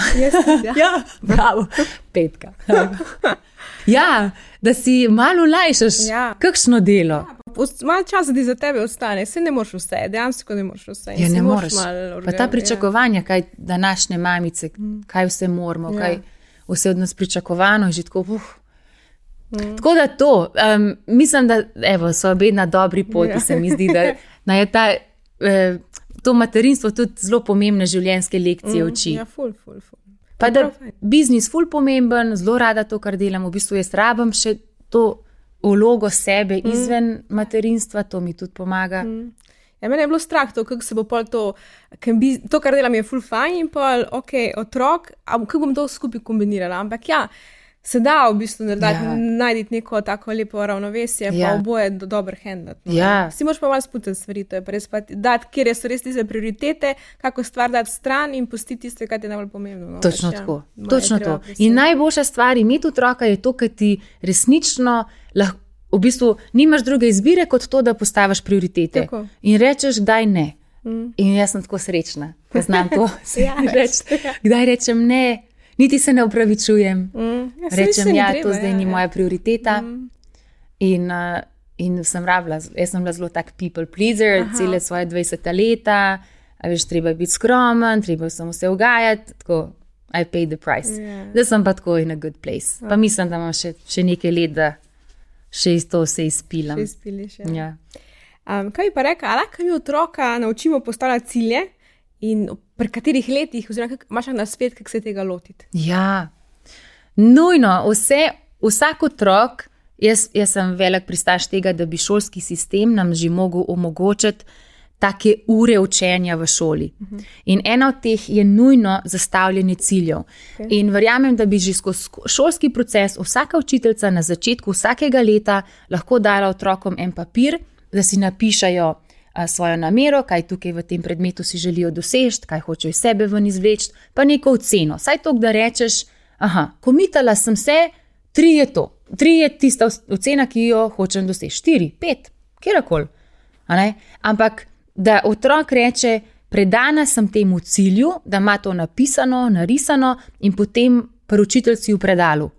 Bravo, 5. Da si malo lajšaš kakšno delo.
Malo časa ti za tebe ostane, se ne moreš vse, dejansko ne moreš vse.
Ne moreš. Pa ta pričakovanja, kaj današnje mamice, kaj vse moramo, kaj vse od nas pričakovano, že tako, Tako da to, mislim, da so obe na dobri poti, se mi zdi, da je to materinstvo tudi zelo pomembne življenjske lekcije uči.
Ja, ful.
Pa da biznis ful pomemben, zelo rada to, kar delam, v bistvu jaz rabim še to vlogo sebe izven materinstva, to mi tudi pomaga.
Ja, mene je bilo strah to, kako se bo pol to, kar delam je ful fajn in pol, otrok, kako bom to skupaj kombinirala, ampak se da v bistvu najti neko tako lepo ravnovesje, pa oboje dobro handlati. Si moraš pa malo sputati stvari, to je pa res dati, kjer so res tiste prioritete, kako stvar dati stran in pustiti tiste, kaj je najbolj pomembno.
Točno tako. In najboljša stvar imeti otroka je to, kaj ti resnično lahko, v bistvu nimaš druge izbire, kot to, da postaviš prioritete. Tako. In rečeš, kdaj ne. In jaz sem tako srečna, da znam to reči. Kdaj rečem ne, niti se ne opravičujem. Rečem, to zdaj ni moja prioriteta. In sem rabila, jaz sem bila zelo tak people pleaser, cele svoje 20 leta, veš, treba biti skromen, treba sem vse ugajati, tako, I paid the price. Da sem pa tako in a good place. Pa mislim, da imam še nekaj let, da še iz to vse izpilam.
Še izpiliš, kaj bi pa rekla, lahko mi otroka naučimo postavljati cilje in pri katerih letih, oziroma imaš na svet, kako se tega lotiti?
Ja, nujno, vsak otrok, jaz sem velik pristaš tega, da bi šolski sistem nam že mogel omogočiti take ure učenja v šoli. In ena od teh je nujno zastavljanje ciljev. In verjamem, da bi že skozi šolski proces vsaka učiteljica na začetku vsakega leta lahko dala otrokom en papir, da si napišajo svojo namero, kaj tukaj v tem predmetu si želijo doseči, kaj hočejo iz sebe ven izvleči, pa neko oceno. Saj to, da rečeš, komitala sem se, 3 je to. 3 je tista ocena, ki jo hočem doseči. 4, 5, kjerkoli. Ampak da otrok reče, predana sem temu cilju, da ima to napisano, narisano in potem pri učiteljci v predalu.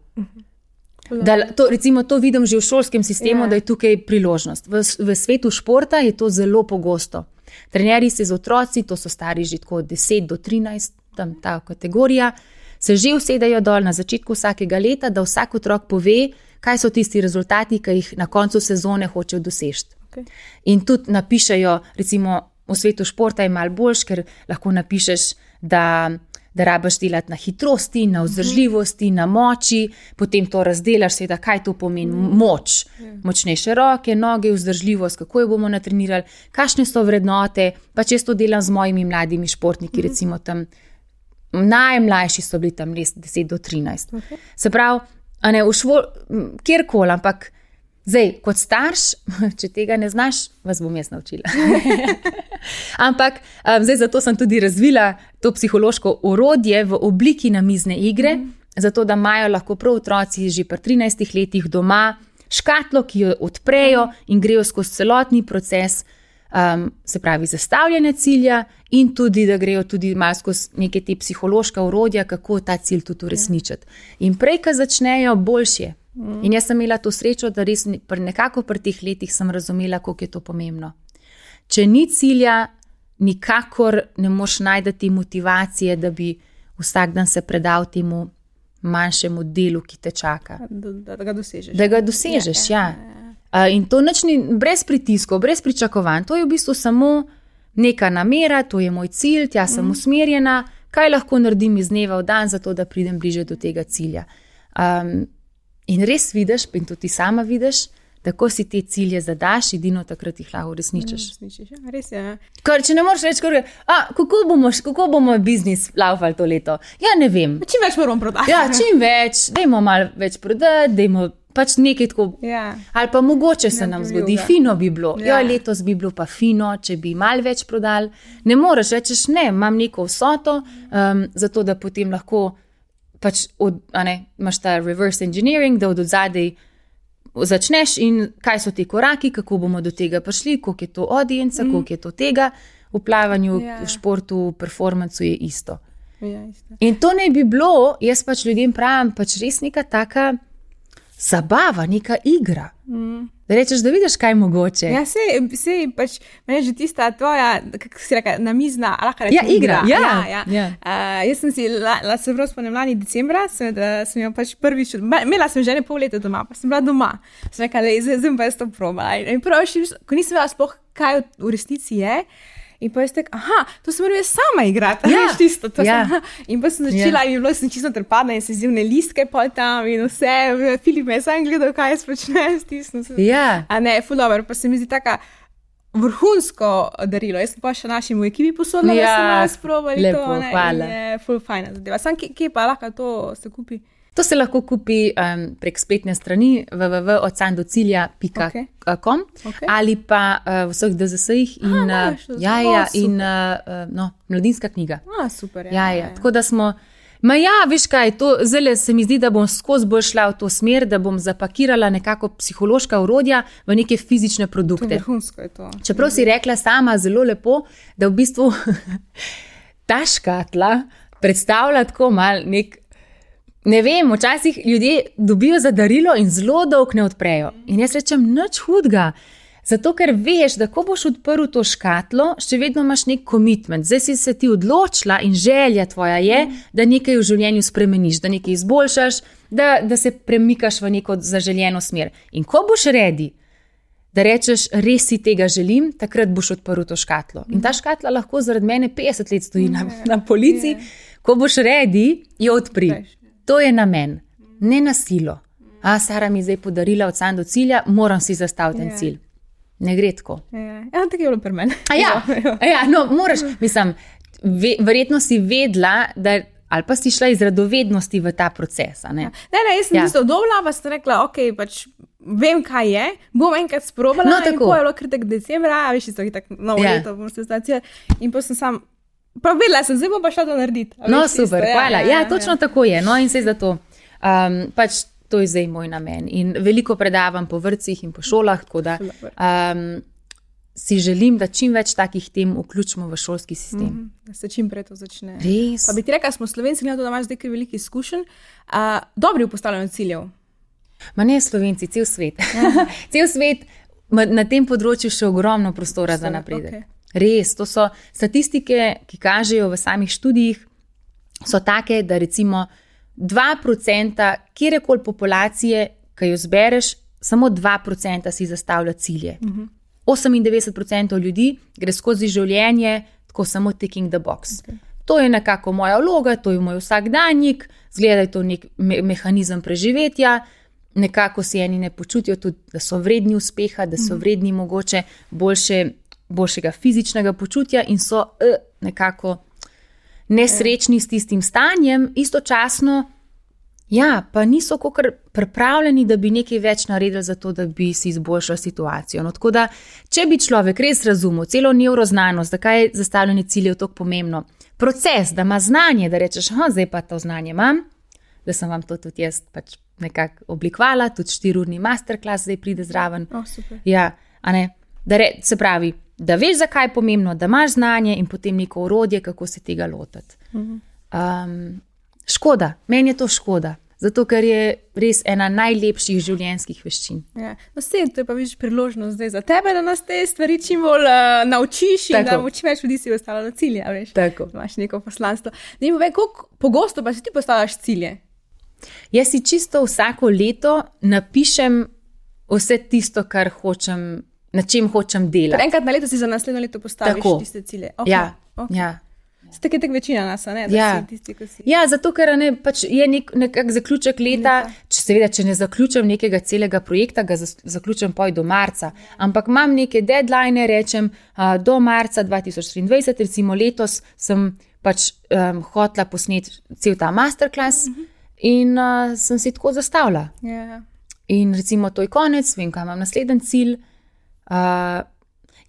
Recimo to vidim že v šolskem sistemu, da je tukaj priložnost. V svetu športa je to zelo pogosto. Trenerji se z otroci, to so stari že tako od 10 do 13, tam ta kategorija, se že usedajo dol na začetku vsakega leta, da vsak otrok pove, kaj so tisti rezultati, ki jih na koncu sezone hočejo doseči. Okay. In tudi napišejo, recimo v svetu športa je malo boljš, ker lahko napišeš, da rabiš delati na hitrosti, na vzdržljivosti, na moči, potem to razdelaš, seveda, kaj to pomeni moč. Močnejše roke, noge, vzdržljivost, kako jo bomo natrenirali, kakšne so vrednote, pa če to delam z mojimi mladimi športniki, recimo tam, najmlajši so bili tam 10 do 13. Okay. Se pravi, kjerkoli, ampak zdaj, kot starš, če tega ne znaš, vas bom jaz naučila. Ampak zdaj zato sem tudi razvila to psihološko orodje v obliki namizne igre, zato da imajo lahko prav otroci že pri 13 letih doma škatlo, ki jo odprejo in grejo skozi celotni proces, se pravi zastavljanja cilja in tudi, da grejo tudi malo skozi neke te psihološka orodja, kako ta cilj tudi uresničiti. In prej, ko začnejo, boljše. In jaz sem imela to srečo, da res nekako pri teh letih sem razumela, koliko je to pomembno. Če ni cilja, nikakor ne moš najdeti motivacije, da bi vsak dan se predal temu manjšemu delu, ki te čaka.
Da ga dosežeš.
Da ga dosežeš, ja. In to nič ni brez pritiskov, brez pričakovanj. To je v bistvu samo neka namera, to je moj cilj, tja sem usmerjena, kaj lahko naredim iz dneva v dan, zato da pridem bliže do tega cilja. In res vidiš, in tudi ti sama vidiš, tako si te cilje zadaš, edino takrat jih lahko uresničiš.
Res je.
Če ne moreš reči, kako bomo biznis laufali to leto? Ja, ne vem.
Čim več moramo prodati.
Ja, čim več, dajmo malo več prodati, dajmo pač nekaj tako. Ja. Ali pa mogoče se nam zgodi, fino bi bilo. Ja, letos bi bilo pa fino, če bi malo več prodali. Ne moreš, rečeš ne, imam neko vsoto, zato da potem lahko pač imaš ta reverse engineering, da od odzadej začneš in kaj so ti koraki, kako bomo do tega prišli, koliko je to audienca, koliko je to tega. V plavanju, v športu, v performancu je isto. Ja, isto. In to naj bi bilo, jaz pač ljudem pravim, pač res neka taka zabava, neka igra. Da rečeš, da vidiš, kaj je mogoče.
Ja, sej pač, meni je že tista tvoja, kako si reka, namizna, lahko rečem,
igra.
Ja. Jaz sem si, se prav spomnim lani decembra, sem jo pač prvič, imela sem že pol leta doma, pa sem bila doma. Sem rekla, zdaj pa jaz to probala. In prvo, ko nisem vedela sploh, kaj v resnici je, in pa jaz to sem morala sama igrati. Ja, tisto, in pa sem začela in bilo sem čisto trpadna in se zivne listke pol tam in vse. Filip me je sam gledal, kaj jaz počnem, stisnil sem.
Ja.
A ne, ful dobro, pa se mi zdi taka vrhunsko darilo. Jaz sem pa še našim v ekipi posodila, da sem malo sprobali
lepo,
to.
Hvala.
In je ful fajna zadeva. Sam kje pa lahko to se kupi?
To se lahko kupi prek spletne strani www.odsandocilja.com ali pa v vseh DZS-ih in mladinska knjiga.
Super.
Ja. Tako da smo, veš kaj, to zdaj se mi zdi, da bom skozi bolj šla v to smer, da bom zapakirala nekako psihološka orodja v neke fizične produkte.
Vrhunsko je to.
Čeprav si rekla sama zelo lepo, da v bistvu ta škatla predstavlja tako mal ne vem, včasih ljudje dobijo za darilo in zelo dolg ne odprejo. In jaz rečem, nič hudega. Zato, ker veš, da ko boš odprl to škatlo, še vedno imaš nek commitment. Zdaj si se ti odločila in želja tvoja je, da nekaj v življenju spremeniš, da nekaj izboljšaš, da se premikaš v neko zaželjeno smer. In ko boš ready, da rečeš, res si tega želim, takrat boš odprl to škatlo. In ta škatla lahko zaradi mene 50 let stoji na polici. Ko boš ready, jo odpri. To je namen, ne na silo. Sara mi zdaj podarila od Sand do cilja, moram si zastaviti ten cilj. Ne gre tako.
Ja, tako je bilo pri meni.
Moraš, mislim, verjetno si vedela, ali pa si šla iz radovednosti v ta proces. Ne,
jaz sem tisto dobila, pa sem rekla, pač vem, kaj je, bom enkrat sprobala, in po je bilo kritek decembra, veš, isto je tako novo leto, bom se zastavila, in pa sem sam pa vedela sem, zdaj bom pa šla to narediti.
Super, hvala. Ja, točno tako je. No, in se zato, pač to je zdaj moj namen. In veliko predavam po vrtcih in po šolah, tako da si želim, da čim več takih tem vključimo v šolski sistem.
Da se čim prej to začne.
Res.
Pa bi ti rekla, smo Slovenci, glede, da imaš zdaj veliko izkušenj, dobri v postavljanju ciljev.
Ma ne Slovenci, cel svet. Cel svet ima na tem področju še ogromno prostora za napredek. Okay. Res, to so statistike, ki kažejo v samih študijih, so take, da recimo 2% kjerekoli populacije, ki jo zbereš, samo 2% si zastavlja cilje. 98% ljudi gre skozi življenje tako samo ticking the box. Okay. To je nekako moja vloga, to je moj vsakdanjik, zgleda, da je to nek mehanizem preživetja, nekako si eni ne počutijo tudi, da so vredni uspeha, da so vredni mogoče boljšega fizičnega počutja in so nekako nesrečni s tistim stanjem, istočasno, ja, pa niso kakor pripravljeni, da bi nekaj več naredili za to, da bi si izboljšali situacijo. No, tako da, če bi človek res razumel celo nevroznanost, zakaj je zastavljanje ciljev tako pomembno, proces, da ima znanje, da rečeš, zdaj pa to znanje imam, da sem vam to tudi jaz pač nekako oblikovala, tudi 4-urni masterclass zdaj pride zraven.
Super.
Ja, a ne, se pravi, da veš, zakaj je pomembno, da imaš znanje in potem neko orodje, kako se tega lotiti. Škoda, meni je to škoda, zato ker je res ena najlepših življenjskih veščin.
Ja. No, to je pa viš priložnost zdaj za tebe, da nas te stvari čim bolj naučiš in da čim več ljudi si ostalo na cilje, veš.
Tako.
Imaš neko poslanstvo. Ne vem, koliko pogosto pa si ti postavljaš cilje?
Jaz si čisto vsako leto napišem vse tisto, kar hočem, na čem hočem delati.
Enkrat na leto si za naslednjo leto postaviš tiste cilje. Okay.
Ja, okay. Ja.
Ste tak večina nas, ne? Da si tisti, ko si.
Ja, zato ker pač je nekak zaključek leta, če ne zaključim nekega celega projekta, ga zaključim do marca, ampak imam neke deadline, rečem do marca 2023, recimo letos sem pač hotela posneti cel ta masterclass in sem si tako zastavila.
Yeah.
In recimo to je konec, vem, kaj imam naslednji cilj.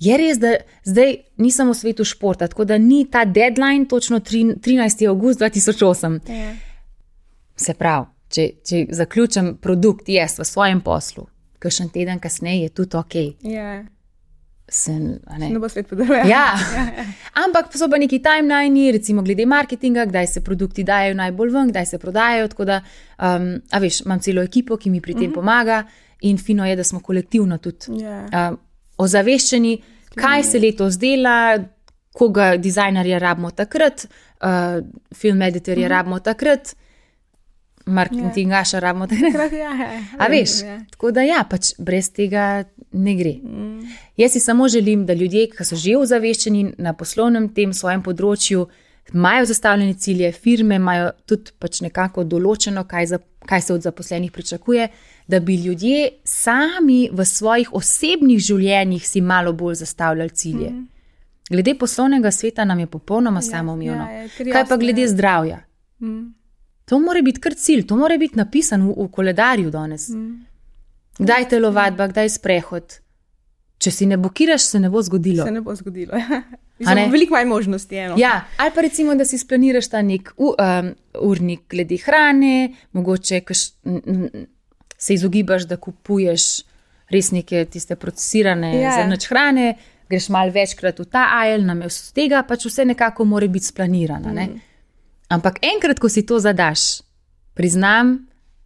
Je res, da zdaj nisem v svetu športa, tako da ni ta deadline točno 13. avgust 2008.
Yeah.
Se pravi, če zaključim produkt v svojem poslu, kakšen teden kasneje je tudi ok.
Yeah.
Ne
bo svet podaril.
Ja. Ampak so pa neki timelini, recimo glede marketinga, kdaj se produkti dajo najbolj ven, kdaj se prodajajo, tako da, veš, imam celo ekipo, ki mi pri tem pomaga in fino je, da smo kolektivno tudi ozaveščeni, kaj se letos dela, koga dizajnerja rabimo takrat, film editorja rabimo takrat, marketingaša rabimo takrat. A veš, tako da pač brez tega ne gre. Jaz si samo želim, da ljudje, ki so že ozaveščeni na poslovnem tem svojem področju, imajo zastavljene cilje, firme imajo tudi pač nekako določeno, kaj se od zaposlenih pričakuje, da bi ljudje sami v svojih osebnih življenjih si malo bolj zastavljali cilje. Glede poslovnega sveta nam je popolnoma samoumevno. Kaj pa glede zdravja? To mora biti kar cilj, to mora biti napisan v koledarju danes. Kdaj telovadba, kdaj sprehod? Če si ne blokiraš, se ne bo zgodilo.
Se ne bo zgodilo, veliko manj možnosti.
Ja, ali pa recimo, da si splaniraš ta nek urnik glede hrane, mogoče se izogibaš, da kupuješ res neke tiste procesirane zrnač hrane, greš malo večkrat v ta aisle, namesto tega pač vse nekako mora biti splanirano. Ampak enkrat, ko si to zadaš, priznam,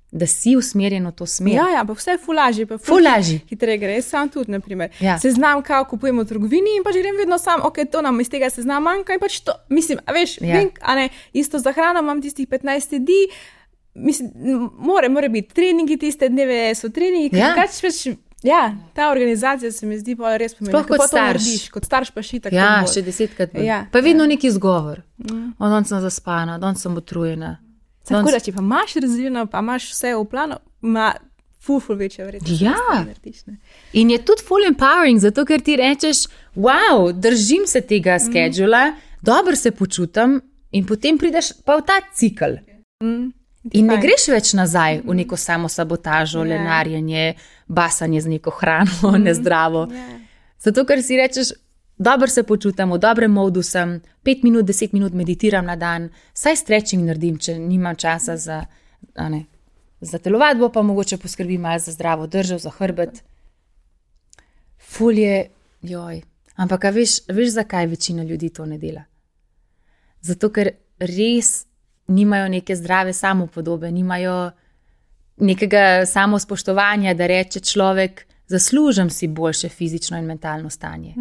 da si usmerjen v to smer.
Ja, pa vse je fulaži. Hitreje gre, sam tudi, naprimer. Seznam, kaj kupujemo v trgovini in pač grem vedno sam, to nam iz tega seznam manjka in pač to, mislim, veš, vem, isto za hrano imam tistih 15 jedi, mislim, mora biti treningi, tiste dneve so treningi, ta organizacija se mi zdi pa res pomembna.
Sploh kot starš.
Kot starš pa šitak.
Ja, še 10krat bolj. Pa vedno neki izgovor. Danes sem zaspana, danes sem utrujena.
Tako da, če pa imaš razvijeno, pa imaš vse v planu, ima ful večja vrednost.
Ja, in je tudi full empowering, zato ker ti rečeš, wow, držim se tega schedula, dobro se počutim in potem prideš pa v ta cikl. In ne greš več nazaj v neko samo sabotažo, lenarjenje, basanje z neko hrano, nezdravo. Zato ker si rečeš, dobro se počutam, v dobrem modu sem, 5 minut, 10 minut meditiram na dan, saj stretching naredim, če nimam časa za telovadbo, pa mogoče poskrbim malo za zdravo držo, za hrbet. Ful je, ampak veš, zakaj večina ljudi to ne dela? Zato, ker res nimajo neke zdrave samopodobe, nimajo nekega samospoštovanja, da reče človek, zaslužim si boljše fizično in mentalno stanje.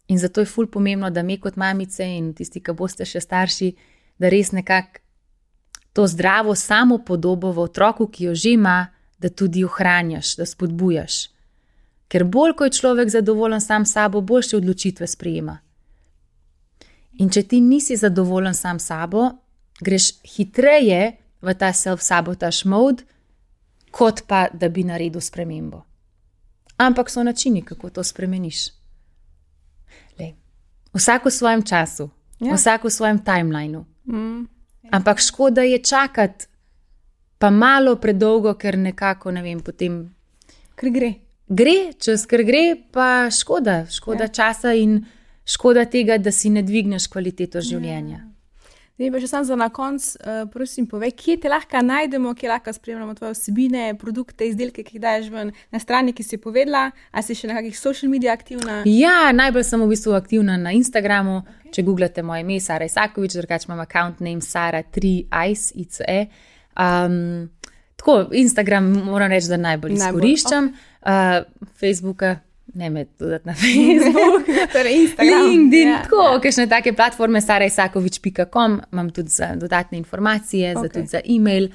In zato je ful pomembno, da mi kot mamice in tisti, ki boste še starši, da res nekako to zdravo samopodobo v otroku, ki jo že ima, da tudi ohranjaš, da spodbujaš. Ker bolj, ko je človek zadovoljen sam sabo, boljše odločitve sprejema. In če ti nisi zadovoljen sam sabo, greš hitreje v ta self-sabotage mode, kot pa, da bi naredil spremembo. Ampak so načini, kako to spremeniš. Lej, vsak v svojem času, vsak v svojem timelineu. Ampak škoda je čakati pa malo predolgo, ker nekako, ne vem, potem...
Ker gre.
Gre, čez ker gre, pa škoda časa in škoda tega, da si ne dvigneš kvaliteto življenja.
Ne, pa še sam za na konc, prosim, povej, kje te lahko najdemo, kje lahko spremljamo tvoje vsebine, produkte, izdelke, ki jih daješ ven na strani, ki si povedala, a si še na kakih social media aktivna?
Ja, najbolj sem v bistvu aktivna na Instagramu, Če googlate moje ime, Sara Isakovič, drugače imam account name Sara 3ice, ICE. Tako, Instagram moram reči, da najbolj izkoriščam. Facebooka, ne me dodati na Facebook.
Torej Instagram.
LinkedIn, tako, kakšne take platforme, saraisakovič.com, imam tudi za dodatne informacije, tudi za e-mail.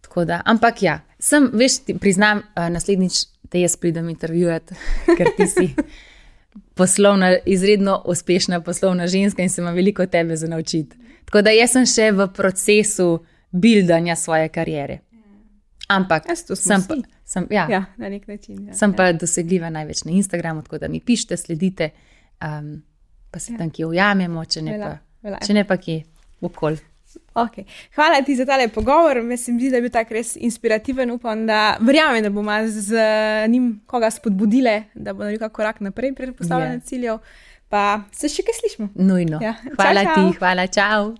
Tako da, ampak ja, priznam, naslednjič te jaz pridem intervjuvati, ker ti si izredno uspešna poslovna ženska in se ima veliko tebe za naučiti. Tako da jaz sem še v procesu buildanja svoje kariere. Ampak
na nek način.
Sem pa dosegljiva največ na Instagramu, tako da mi pišite, sledite, pa se tam kje ujamemo, če ne pa kje okoli.
Okay. Hvala ti za tale pogovor. Mislim, da je bil tak res inspirativen. Upam, da verjamem, da bomo z njim koga spodbudile, da bo naredil korak naprej pri postavljanju ciljev. Pa se še kaj slišimo.
Nujno. Hvala ti, hvala, čau.